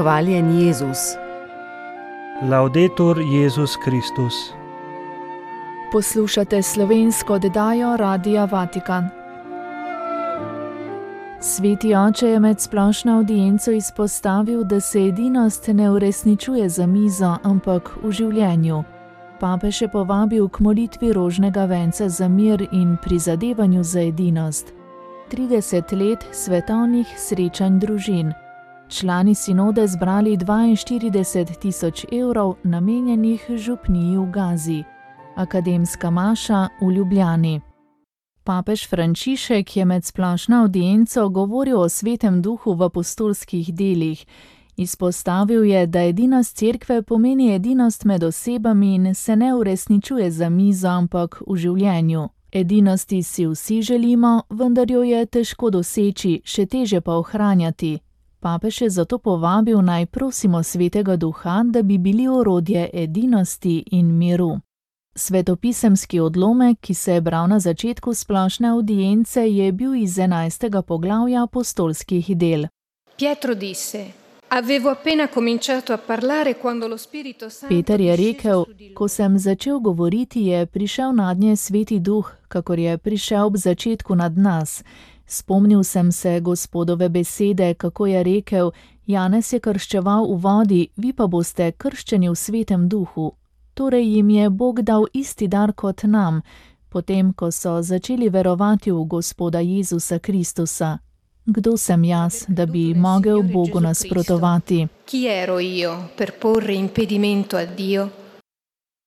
Hvaljen Jezus. Laudetur Jezus Kristus. Poslušate slovensko oddajo Radia Vatikan. Sveti oče je med splošno avdienco izpostavil, da se edinost ne uresničuje za mizo, ampak v življenju. Papež je povabil k molitvi rožnega venca za mir in prizadevanju za edinost. 30 let svetovnih srečanj družin. Člani sinode zbrali 42.000 evrov namenjenih župniji v Gazi. Akademska maša v Ljubljani. Papež Frančišek je med splošno avdienco govoril o svetem duhu v apostolskih delih. Izpostavil je, da edinost cerkve pomeni edinost med osebami in se ne uresničuje za mizo, ampak v življenju. Edinosti si vsi želimo, vendar jo je težko doseči, še teže pa ohranjati. Papež je zato povabil, naj prosimo svetega duha, da bi bili orodje edinosti in miru. Svetopisemski odlomek, ki se je bral na začetku splošne avdience, je bil iz 11. poglavja apostolskih del. Pietro disse: Avevo appena cominciato a parlare quando lo Spirito Santo. Peter je rekel: Ko sem začel govoriti, je prišel nadnje sveti duh, kakor je prišel ob začetku nad nas. Spomnil sem se Gospodove besede, kako je rekel: Janez je krščeval v vodi, vi pa boste krščeni v svetem duhu. Torej jim je Bog dal isti dar kot nam, potem ko so začeli verovati v Gospoda Jezusa Kristusa. Kdo sem jaz, da bi mogel Bogu nasprotovati? Chi ero io per porre impedimento a Dio?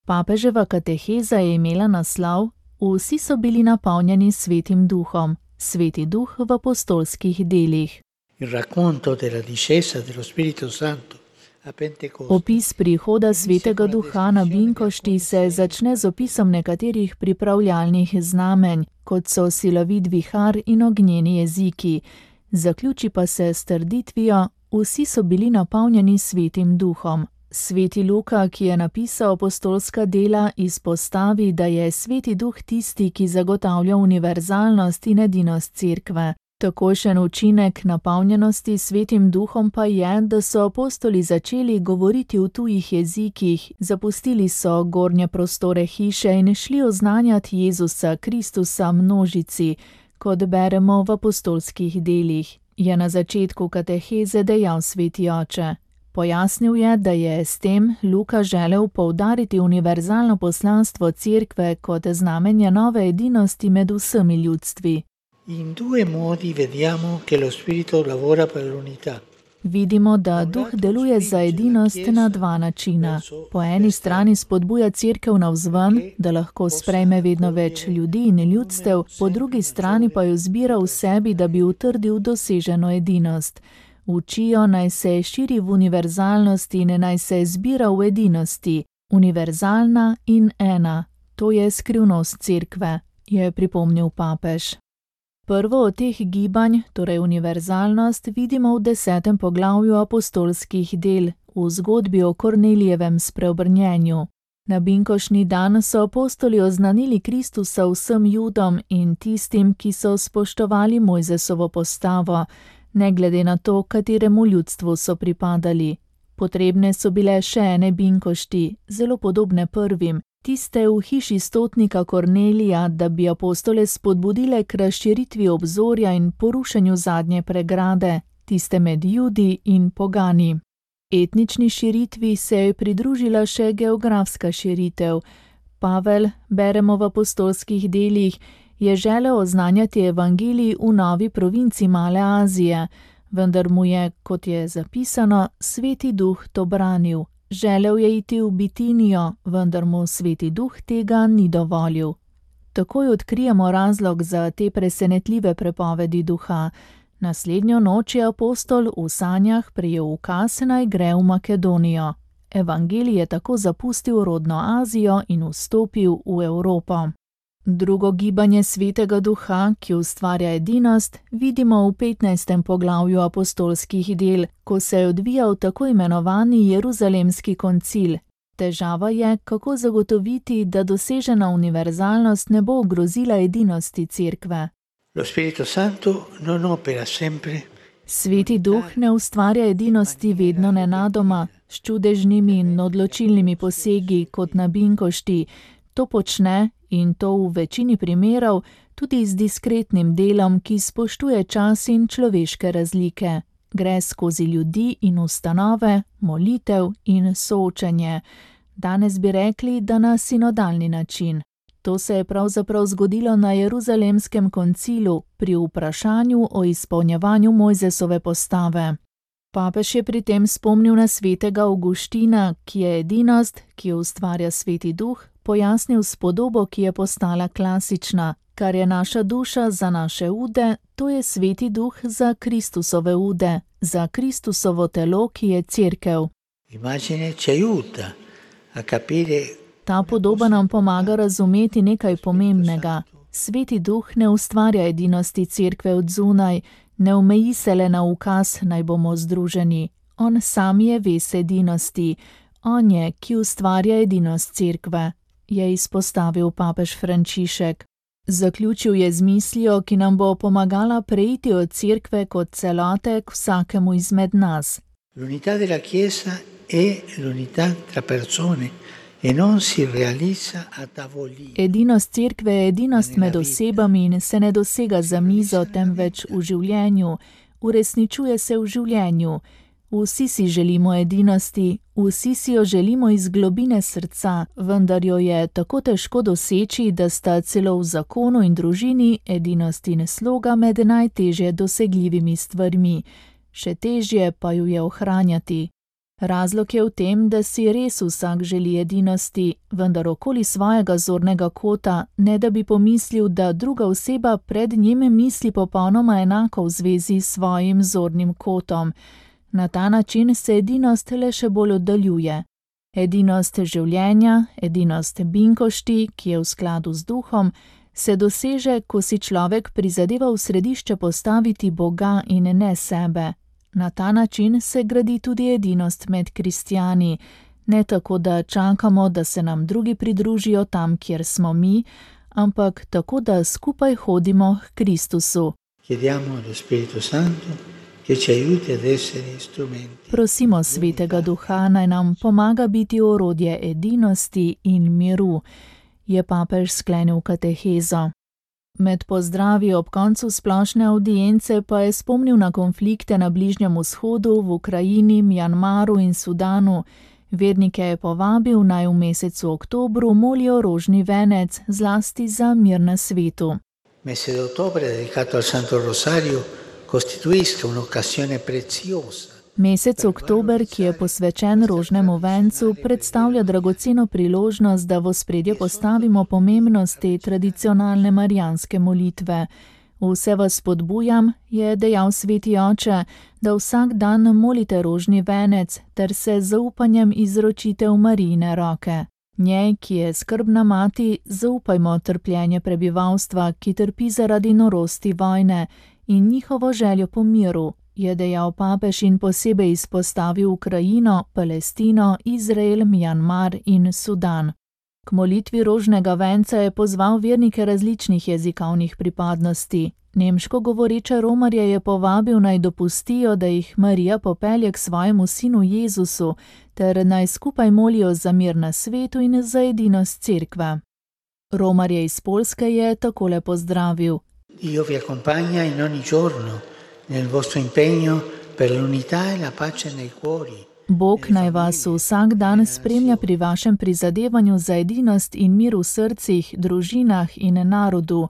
Papeževa kateheza je imela naslov: Vsi so bili napolnjeni svetim duhom. Sveti duh v apostolskih delih. Il racconto della discesa dello Spirito Santo a Pentecoste. Opis prihoda svetega duha na Binkošti se začne z opisom nekaterih pripravljalnih znamenj, kot so silovit vihar in ognjeni jeziki. Zaključi pa se s trditvijo: vsi so bili napolnjeni svetim duhom. Sveti Luka, ki je napisal apostolska dela, izpostavi, da je sveti duh tisti, ki zagotavlja univerzalnost in edinost cerkve. Takojšen učinek napolnjenosti svetim duhom pa je, da so apostoli začeli govoriti v tujih jezikih, zapustili so gornje prostore hiše in šli oznanjati Jezusa Kristusa množici, kot beremo v apostolskih delih, je na začetku kateheze dejal sveti oče. Pojasnil je, da je s tem Luka želel poudariti univerzalno poslanstvo cerkve kot znamenje nove edinosti med vsemi ljudstvi. In due modi vediamo che lo Spirito lavora per l'unità. Vidimo, da duh deluje za edinost na dva načina. Po eni strani spodbuja cerkev navzven, da lahko sprejme vedno več ljudi in ljudstev, po drugi strani pa jo zbira v sebi, da bi utrdil doseženo edinost. Učijo, naj se širi v univerzalnosti in naj se zbira v edinosti. Univerzalna in ena. To je skrivnost cerkve, je pripomnil papež. Prvo od teh gibanj, torej univerzalnost, vidimo v 10. poglavju apostolskih del, v zgodbi o Kornelijevem spreobrnjenju. Na binkošni dan so apostoli oznanili Kristusa vsem Judom in tistim, ki so spoštovali Mojzesovo postavo, ne glede na to, kateremu ljudstvu so pripadali. Potrebne so bile še ene binkošti, zelo podobne prvim, tiste v hiši stotnika Kornelija, da bi apostole spodbudile k razširitvi obzorja in porušenju zadnje pregrade, tiste med Judi in pogani. Etnični širitvi se je pridružila še geografska širitev. Pavel, beremo v apostolskih delih, je želel oznanjati evangelij v novi provinci Male Azije, vendar mu je, kot je zapisano, sveti duh to branil. Želel je iti v Bitinijo, vendar mu sveti duh tega ni dovolil. Takoj odkrijemo razlog za te presenetljive prepovedi duha. Naslednjo noč je apostol v sanjah prejel ukaz, naj gre v Makedonijo. Evangelij je tako zapustil rodno Azijo in vstopil v Evropo. Drugo gibanje svetega duha, ki ustvarja edinost, vidimo v 15. poglavju apostolskih del, ko se je odvijal tako imenovani Jeruzalemski koncil. Težava je, kako zagotoviti, da dosežena univerzalnost ne bo ogrozila edinosti cerkve. Lo Spirito Santo non opera sempre Sveti duh ne ustvarja edinosti vedno nenadoma, s čudežnimi in odločilnimi posegi kot na binkošti. To počne, in to v večini primerov, tudi z diskretnim delom, ki spoštuje čas in človeške razlike. Gre skozi ljudi in ustanove, molitev in soočenje. Danes bi rekli, da na sinodalni način. To se je pravzaprav zgodilo na Jeruzalemskem koncilu pri vprašanju o izpolnjevanju Mojzesove postave. Papež je pri tem spomnil na svetega Avguština, ki je edinost, ki jo ustvarja Sveti duh, pojasnil s podobo, ki je postala klasična. Kar je naša duša za naše ude, to je Sveti duh za Kristusove ude, za Kristusovo telo, ki je cerkev. Ta podoba nam pomaga razumeti nekaj pomembnega. Sveti duh ne ustvarja edinosti cerkve od zunaj, ne omeji se le na ukaz, naj bomo združeni. On sam je ves edinosti. On je, ki ustvarja edinost cerkve, je izpostavil papež Frančišek. Zaključil je z mislijo, ki nam bo pomagala preiti od cerkve kot celote k vsakemu izmed nas. L'unità della Chiesa è l'unità tra persone e non si realizza a tavolino. Edinost cerkve je edinost med osebami in se ne dosega za mizo, temveč v življenju. Uresničuje se v življenju. Vsi si želimo edinosti, vsi si jo želimo iz globine srca, vendar jo je tako težko doseči, da sta celo v zakonu in družini edinost in sloga med najtežje dosegljivimi stvarmi. Še težje pa jo je ohranjati. Razlog je v tem, da si res vsak želi edinosti, vendar okoli svojega zornega kota, ne da bi pomislil, da druga oseba pred njim misli popolnoma enako v zvezi s svojim zornim kotom. Na ta način se edinost le še bolj oddaljuje. Edinost življenja, edinost binkošti, ki je v skladu z duhom, se doseže, ko si človek prizadeva v središče postaviti Boga in ne sebe. Na ta način se gradi tudi edinost med kristjani, ne tako, da čakamo, da se nam drugi pridružijo tam, kjer smo mi, ampak tako, da skupaj hodimo k Kristusu. Chiediamo allo Spirito Santo che ci aiuti ad essere strumenti. Prosimo Svetega Duha, naj nam pomaga biti orodje edinosti in miru, je papež sklenil katehezo. Med pozdravi ob koncu splošne avdience pa je spomnil na konflikte na Bližnjem vzhodu, v Ukrajini, Mjanmaru in Sudanu. Vernike je povabil, naj v mesecu oktobru molijo rožni venec, zlasti za mir na svetu. Mese d'ottobre dedicato al Santo Rosario costituisca un'occasione preziosa. Mesec oktober, ki je posvečen rožnemu vencu, predstavlja dragoceno priložnost, da v ospredje postavimo pomembnost te tradicionalne marijanske molitve. Vse vas spodbujam, je dejal Sveti Oče, da vsak dan molite rožni venec ter se z zaupanjem izročite v Marijine roke. Njej, ki je skrbna mati, zaupajmo trpljenje prebivalstva, ki trpi zaradi norosti vojne, in njihovo željo po miru, je dejal papež in posebej izpostavil Ukrajino, Palestino, Izrael, Mjanmar in Sudan. K molitvi rožnega venca je pozval vernike različnih jezikovnih pripadnosti. Nemško govoreče romarje je povabil, naj dopustijo, da jih Marija popelje k svojemu sinu Jezusu, ter naj skupaj molijo za mir na svetu in za edinost cerkve. Romarje iz Poljske je takole pozdravil. Dio vi accompagna in ogni giorno nel vostro impegno per l'unità e la pace nei cuori. Bog naj vas vsak dan spremlja pri vašem prizadevanju za edinost in mir v srcih, družinah in narodu.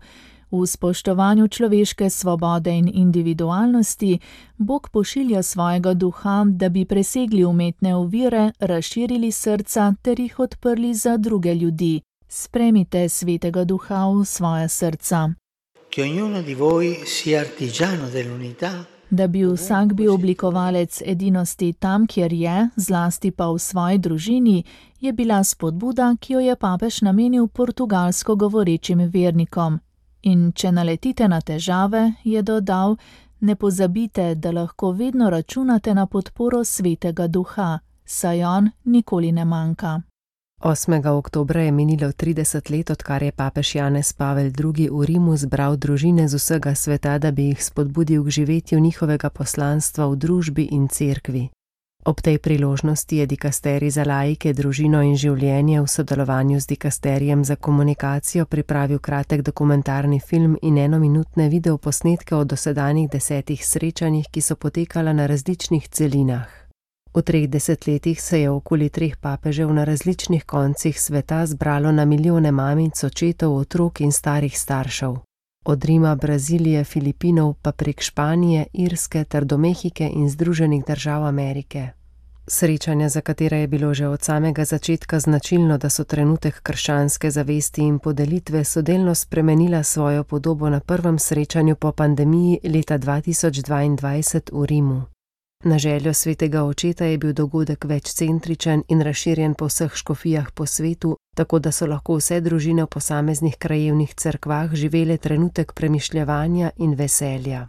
V spoštovanju človeške svobode in individualnosti Bog pošilja svojega duha, da bi presegli umetne ovire, razširili srca ter jih odprli za druge ljudi. Spremite Svetega Duha v svoja srca. Che ognuno di voi sia artigiano dell'unità. Da bi vsak bil oblikovalec edinosti tam, kjer je, zlasti pa v svoji družini, je bila spodbuda, ki jo je papež namenil portugalsko govorečim vernikom. In če naletite na težave, je dodal, ne pozabite, da lahko vedno računate na podporo Svetega Duha, saj on nikoli ne manjka. 8. oktobra je minilo 30 let, odkar je papež Janez Pavel II. V Rimu zbral družine z vsega sveta, da bi jih spodbudil k živetju njihovega poslanstva v družbi in cerkvi. Ob tej priložnosti je dikasterij za laike, družino in življenje v sodelovanju z dikasterijem za komunikacijo pripravil kratek dokumentarni film in enominutne videoposnetke o dosedanjih 10 srečanjih, ki so potekala na različnih celinah. V 3 desetletjih se je okoli 3 papežev na različnih koncih sveta zbralo na milijone mamic, očetov, otrok in starih staršev. Od Rima, Brazilije, Filipinov pa prek Španije, Irske ter do Mehike in Združenih držav Amerike. Srečanja, za katera je bilo že od samega začetka značilno, da so trenutek krščanske zavesti in podelitve, so delno spremenila svojo podobo na prvem srečanju po pandemiji leta 2022 v Rimu. Na željo svetega očeta je bil dogodek večcentričen in razširjen po vseh škofijah po svetu, tako da so lahko vse družine v posameznih krajevnih cerkvah živele trenutek premišljevanja in veselja.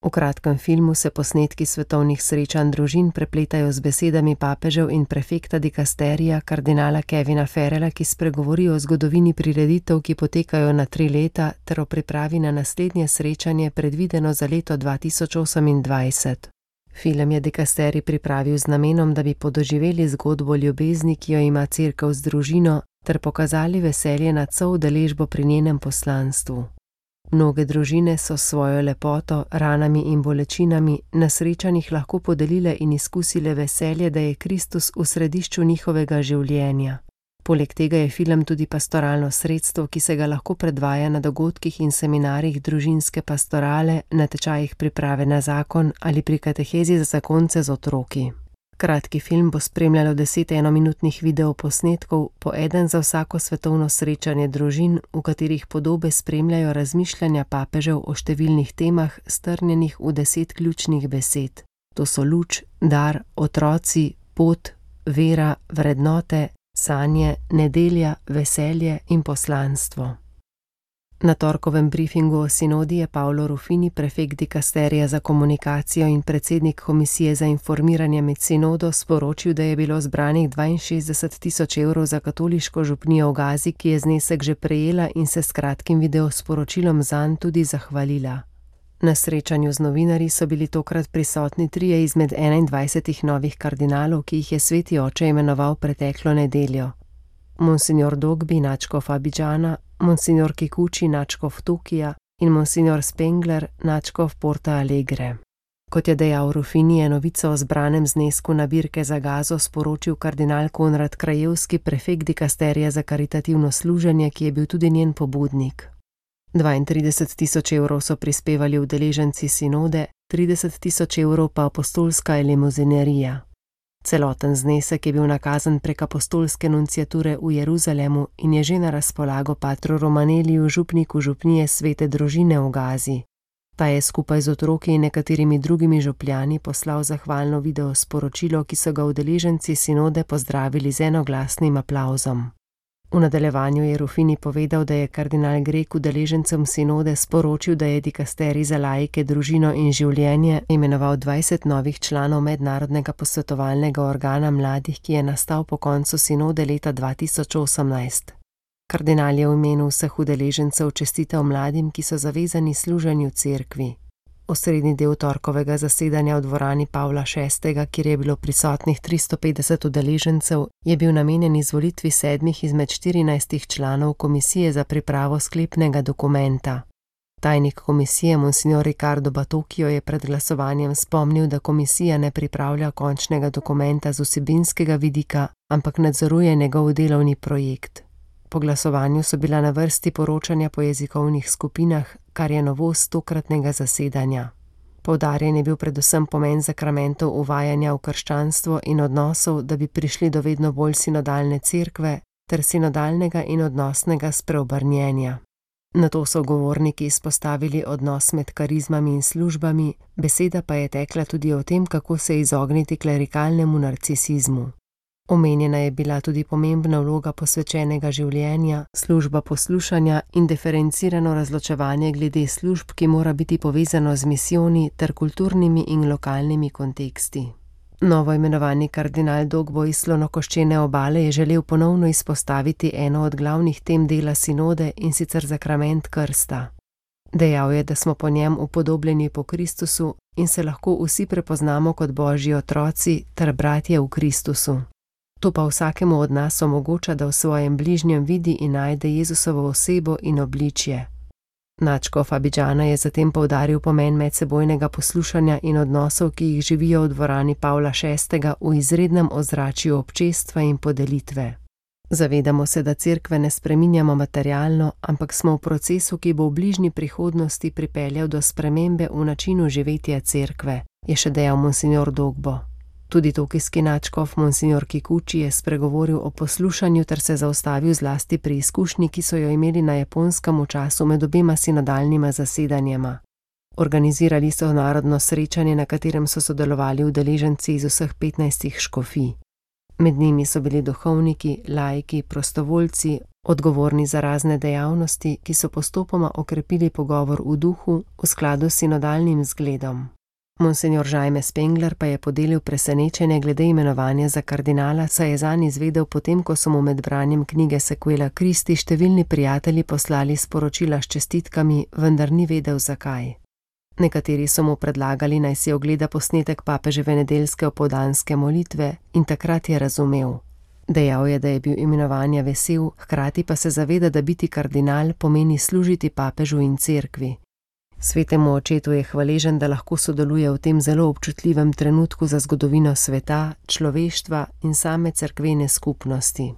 V kratkem filmu se posnetki svetovnih srečanj družin prepletajo z besedami papežev in prefekta dikasterija kardinala Kevina Farrella, ki spregovori o zgodovini prireditev, ki potekajo na 3 leta, ter o pripravi na naslednje srečanje, predvideno za leto 2028. Film je dikasterij pripravil z namenom, da bi podoživeli zgodbo ljubezni, ki jo ima cerkev z družino, ter pokazali veselje nad vso udeležbo pri njenem poslanstvu. Mnoge družine so svojo lepoto, ranami in bolečinami na srečanjih lahko podelile in izkusile veselje, da je Kristus v središču njihovega življenja. Poleg tega je film tudi pastoralno sredstvo, ki se ga lahko predvaja na dogodkih in seminarjih družinske pastorale, na tečajih priprave na zakon ali pri katehezi za zakonce z otroki. Kratki film bo spremljalo 10 enominutnih videoposnetkov, po eden za vsako svetovno srečanje družin, v katerih podobe spremljajo razmišljanja papežev o številnih temah, strnjenih v 10 ključnih besed. To so luč, dar, otroci, pot, vera, vrednote, sanje, nedelja, veselje in poslanstvo. Na torkovem briefingu o sinodi je Paolo Ruffini, prefekt dikasterija za komunikacijo in predsednik komisije za informiranje med sinodo, sporočil, da je bilo zbranih 62.000 evrov za katoliško župnijo v Gazi, ki je znesek že prejela in se s kratkim videosporočilom zanj tudi zahvalila. Na srečanju z novinarji so bili tokrat prisotni 3 izmed 21 novih kardinalov, ki jih je sveti oče imenoval preteklo nedeljo. Monsignor Dogbi, nadškof Abidžana, monsignor Kikuči, nadškof Tokija in monsignor Spengler, nadškof Porta Alegre. Kot je dejal Ruffini, je novico o zbranem znesku nabirke za Gazo sporočil kardinal Konrad Krajevski, prefekt dikasterija za karitativno služenje, ki je bil tudi njen pobudnik. 32.000 evrov so prispevali udeleženci sinode, 30.000 evrov pa apostolska limuzinerija. Celoten znesek je bil nakazan prek apostolske nunciature v Jeruzalemu in je že na razpolago patru Romaneliju, župniku župnije Svete družine v Gazi. Ta je skupaj z otroki in nekaterimi drugimi župljani poslal zahvalno video sporočilo, ki so ga udeleženci sinode pozdravili z enoglasnim aplavzom. V nadaljevanju je Ruffini povedal, da je kardinal Grek udeležencem sinode sporočil, da je dikasterij za laike, družino in življenje imenoval 20 novih članov mednarodnega posvetovalnega organa mladih, ki je nastal po koncu sinode leta 2018. Kardinal je v imenu vseh udeležencev čestital mladim, ki so zavezani služenju cerkvi. Osrednji del torkovega zasedanja v dvorani Pavla VI., kjer je bilo prisotnih 350 udeležencev, je bil namenjen izvolitvi 7 izmed 14 članov komisije za pripravo sklepnega dokumenta. Tajnik komisije monsignor Riccardo Batocchio je pred glasovanjem spomnil, da komisija ne pripravlja končnega dokumenta z vsebinskega vidika, ampak nadzoruje njegov delovni projekt. Po glasovanju so bila na vrsti poročanja po jezikovnih skupinah, kar je novost tokratnega zasedanja. Poudarjen je bil predvsem pomen sakramentov uvajanja v krščanstvo in odnosov, da bi prišli do vedno bolj sinodalne cerkve ter sinodalnega in odnosnega spreobrnjenja. Nato so govorniki izpostavili odnos med karizmami in službami, beseda pa je tekla tudi o tem, kako se izogniti klerikalnemu narcisizmu. Omenjena je bila tudi pomembna vloga posvečenega življenja, služba poslušanja in diferencirano razločevanje glede služb, ki mora biti povezano z misijoni ter kulturnimi in lokalnimi konteksti. Novo imenovani kardinal Dogbo iz Slonokoščene obale je želel ponovno izpostaviti eno od glavnih tem dela sinode, in sicer zakrament krsta. Dejal je, da smo po njem upodobljeni po Kristusu in se lahko vsi prepoznamo kot Božji otroci ter bratje v Kristusu. To pa vsakemu od nas omogoča, da v svojem bližnjem vidi in najde Jezusovo osebo in obličje. Nadškof Abidžana je zatem poudaril pomen medsebojnega poslušanja in odnosov, ki jih živijo v dvorani Pavla VI. V izrednem ozračju občestva in podelitve. Zavedamo se, da cerkve ne spreminjamo materialno, ampak smo v procesu, ki bo v bližnji prihodnosti pripeljal do spremembe v načinu živetja cerkve, je še dejal monsignor Dogbo. Tudi tokijski nadškof monsignor Kikuchi je spregovoril o poslušanju ter se zaustavil zlasti pri izkušnji, ki so jo imeli na Japonskem v času med obema sinodalnima zasedanjema. Organizirali so narodno srečanje, na katerem so sodelovali udeleženci iz vseh 15 škofij. Med njimi so bili duhovniki, laiki, prostovoljci, odgovorni za razne dejavnosti, ki so postopoma okrepili pogovor v duhu v skladu s sinodalnim zgledom. Monsignor Jaime Spengler pa je podelil presenečenje glede imenovanja za kardinala, saj je zanj izvedel potem, ko so mu med branjem knjige Sequela Christi številni prijatelji poslali sporočila s čestitkami, vendar ni vedel zakaj. Nekateri so mu predlagali, naj si ogleda posnetek papeževe nedeljske opoldanske molitve, in takrat je razumel. Dejal je, da je bil imenovanja vesel, hkrati pa se zaveda, da biti kardinal pomeni služiti papežu in cerkvi. Svetemu očetu je hvaležen, da lahko sodeluje v tem zelo občutljivem trenutku za zgodovino sveta, človeštva in same cerkvene skupnosti.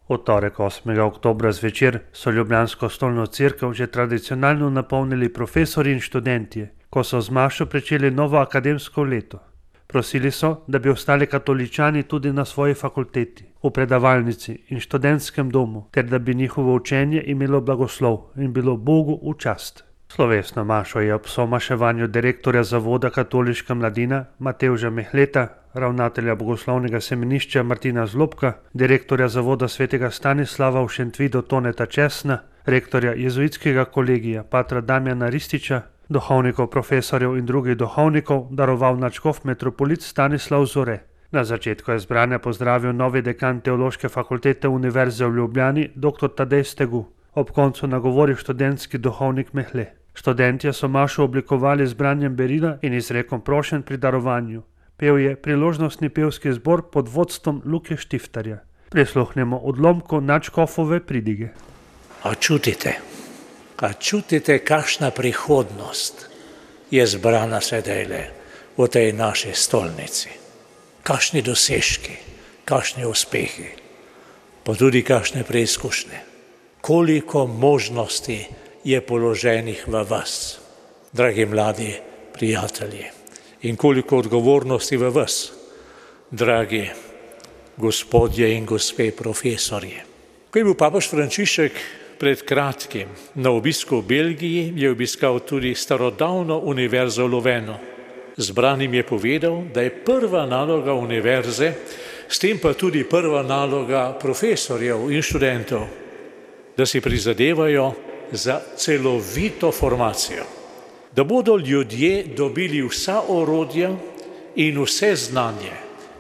V torek 8. oktobra zvečer so ljubljansko stolno cerkev že tradicionalno napolnili profesori in študentje, ko so z mašo pričeli novo akademsko leto. Prosili so, da bi ostali katoličani tudi na svoji fakulteti, v predavalnici in študentskem domu, ter da bi njihovo učenje imelo blagoslov in bilo Bogu v čast. Slovesno mašo je ob somaševanju direktorja Zavoda katoliška mladina Matevža Mehleta, ravnatelja bogoslovnega semenišča Martina Zlobka, direktorja Zavoda svetega Stanislava v Šentvidu Toneta Česna, rektorja jezuitskega kolegija patra Damjana Rističa, duhovnikov, profesorjev in drugih duhovnikov daroval nadškof metropolit Stanislav Zore. Na začetku je zbrane pozdravil novi dekan Teološke fakultete Univerze v Ljubljani, dr. Tadej Stegu. Ob koncu nagovoril študentski duhovnik Mehle. Študentje so mašo oblikovali z branjem berila in izrekom prošenj pri darovanju. Pel je priložnostni pevski zbor pod vodstvom Luke Štiftarja. Prisluhnemo odlomku nadškofove pridige. A čutite, kakšna prihodnost je zbrana sedajle v tej naši stolnici? Kakšni dosežki, kakšni uspehi, pa tudi kakšne preizkušnje. Koliko možnosti je položenih v vas, dragi mladi prijatelji, in koliko odgovornosti v vas, dragi gospodje in gospe profesorji. Ko je bil papež Frančišek pred kratkim na obisku v Belgiji, je obiskal tudi starodavno univerzo v Louvenu. Zbranim je povedal, da je prva naloga univerze, s tem pa tudi prva naloga profesorjev in študentov, da si prizadevajo za celovito formacijo, da bodo ljudje dobili vsa orodja in vse znanje,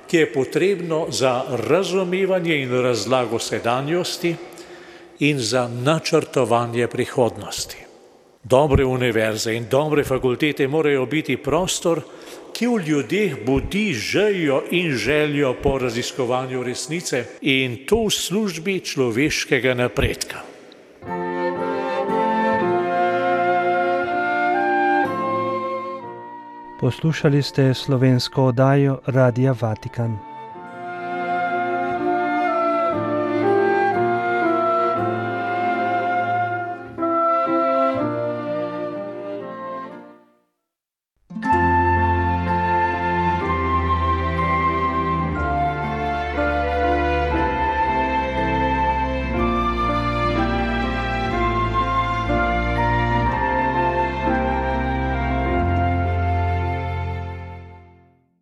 ki je potrebno za razumevanje in razlago sedanjosti in za načrtovanje prihodnosti. Dobre univerze in dobre fakultete morajo biti prostor, ki v ljudeh budi željo in željo po raziskovanju resnice, in to v službi človeškega napredka. Poslušali ste slovensko oddajo Radia Vatikan.